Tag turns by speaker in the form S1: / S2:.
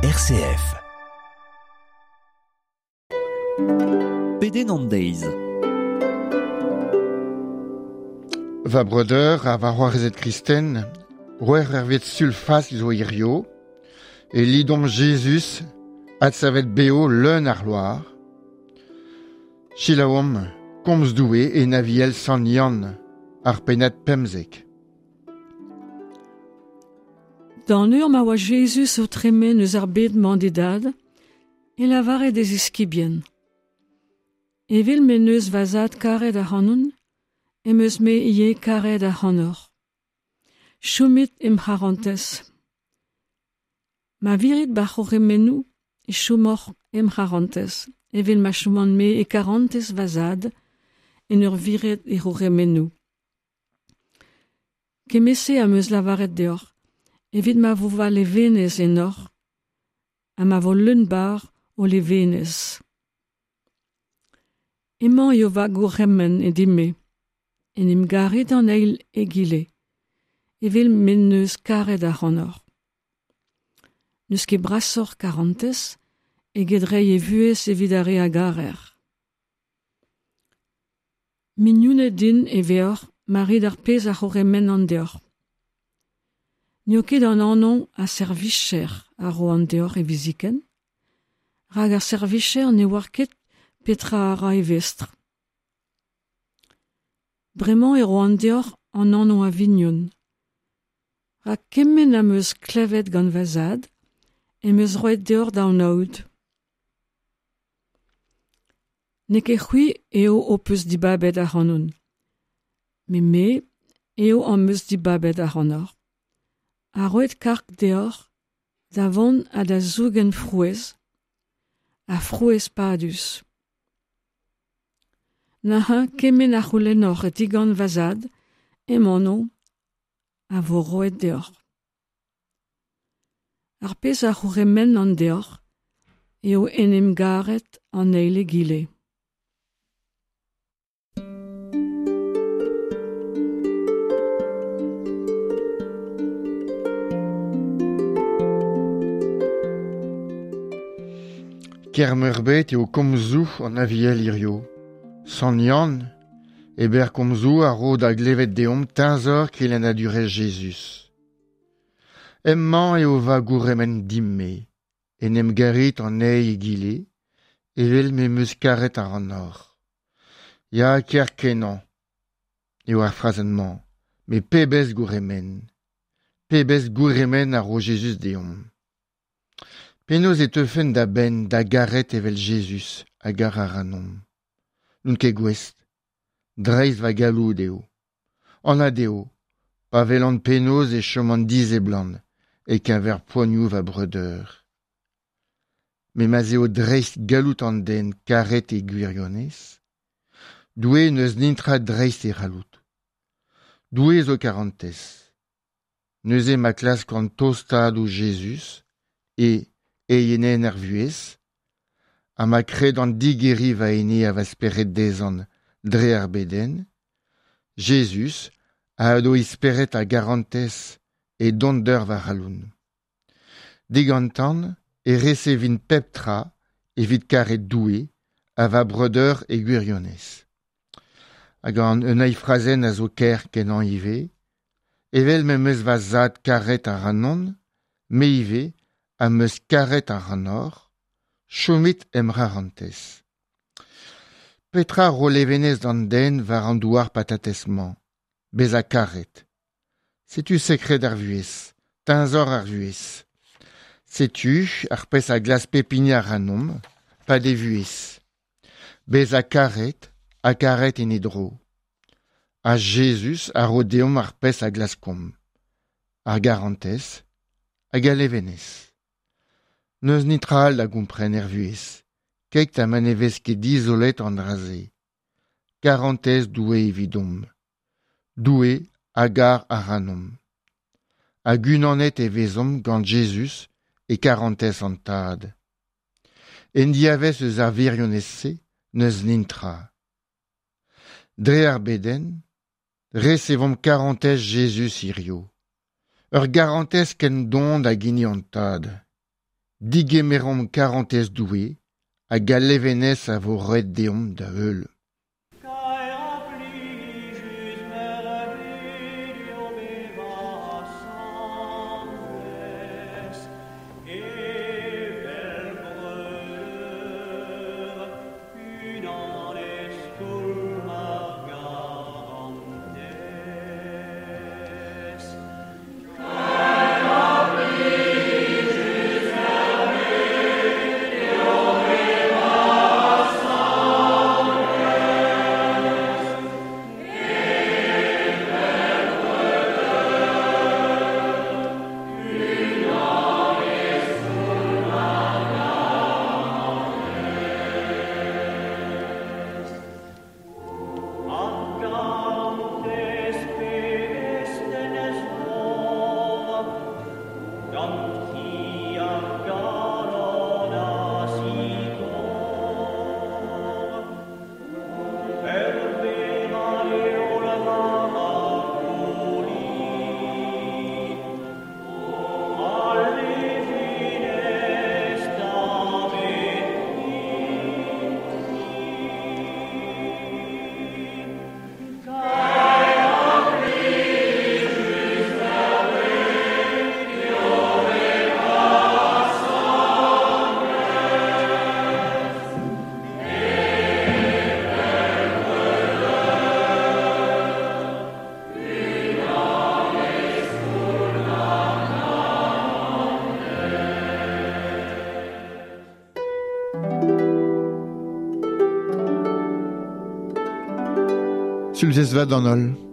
S1: RCF.
S2: Pedenn an deiz.
S3: Va breudeur ha va c'hoarezed kristen, c'hwec'h eurvezh sul Fask zo hirio, e lidomp Jezuz adsavet bev leun a c'hloar. Selaouomp komz Doue en Aviel Sant Yann, ar pennad 15.
S4: D'an eur ma oa Jezuz o tremen eus ar bed-mañ d'e dad, e lavare d'e ziskibien. Evel m'en deus va zad karet ac'hanon, em eus me ivez karet ac'hanoc'h. Chomit em c'harantez. Ma virit va c'hourc'hemennoù, e chomoc'h em c'harantez, evel ma choman-me e karantez va zad, en ur viret e c'hourc'hemennoù. Kement-se am eus lavaret deoc'h, evit ma vo va levenez ennoc'h, ha ma vo leun-barr ho levenez. Emañ eo va gourc'hemenn e din-me, en em garit an eil egile, evel m'en deus karet ac'hanoc'h. N'eus ket brasoc'h karantez eget reiñ e vuhez evit ar re a garer. Mignoned din e veoc'h ma rit ar pezh a c'hourc'hemennan deoc'h. N'eo ket an anv a servijer a roan deoc'h hiviziken, rak ar servijer ne oar ket petra a ra e vestr. Bremañ e roan deoc'h an anv a vignon. Rak kement am eus klevet gant va zad em eus roet deoc'h da anaout. N'eo ket c'hwi eo ho peus dibabet ac'hanon, met me eo am eus dibabet ac'hanoc'h, ha roet karg deoc'h da vont ha da zougen frouezh, ha frouezh padus. Neuze kement a c'houlennoc'h digant va zad em anv a vo roet deoc'h. Ar pezh a c'hourc'hemennan deoc'h eo en em garet an eil egile.
S3: Kaer-meurbet eo komzoù an Aviel hirio. Sant Yann, e berr komzoù a ro da glevet deomp teñzor kelennadurezh Jezuz. Hemañ eo va gourc'hemenn din-me, en em garit an eil egile, evel m'em eus karet ac'hanoc'h. Ya, kaer-kenañ eo ar frazenn-mañ, met pebezh gourc'hemenn! Pebezh gourc'hemenn a ro Jezuz deomp! Penaos e teufen da benn da garet evel Jezuz a gar ac'hanomp? N'on ket gouest. Dreist va galloud eo. Anat eo, pa welan penaos e choman diseblant e-keñver poanioù va breudeur. Met ma'z eo dreist galloud an den karet e gwirionez, Doue n'eus netra dreist e c'halloud. Doue zo karantez. Neuze ma klaskan tostaat ouzh Jezuz e eienenn ar vuhez, ha ma kredan digeriñ va ene ha va spered dezhañ dre ar bedenn, Jezuz a ado e spered a garantez e donder va c'halon. Digantan e resevin pep tra evit karet Doue ha va breudeur e gwirionez. Hag an un eil frazenn a zo kaer-kenañ ivez, evel m'em eus va zad karet ac'hanon, me ivez am eus karet ac'hanoc'h, chomit em c'harantez. Petra ro levenez d'an den war an douar patatez-mañ? Bezañ karet. Setu sekred ar vuhez, teñzor ar vuhez. Setu ar pezh a glask pep hini ac'hanomp, 'pad e vuhez. Bezañ karet ha karet en e dro. Ha Jezuz a ro deomp ar pezh a glaskomp, ar garantez hag al levenez. N'eus netra all da gompren er vuhez, keit ha ma ne vez ket dizolet an dra-se. Karantez Doue evidomp. Doue a gar ac'hanomp. Hag unanet e vezomp gant Jezuz e karantez an Tad. En diavez eus ar wirionez-se n'eus netra. Dre ar bedenn, resevomp karantez Jezuz hirio. Ur garantez ken don hag hini an Tad. Digemeromp karantez Doue hag al levenez a vo roet deomp da heul. Sulzez vat d'an holl.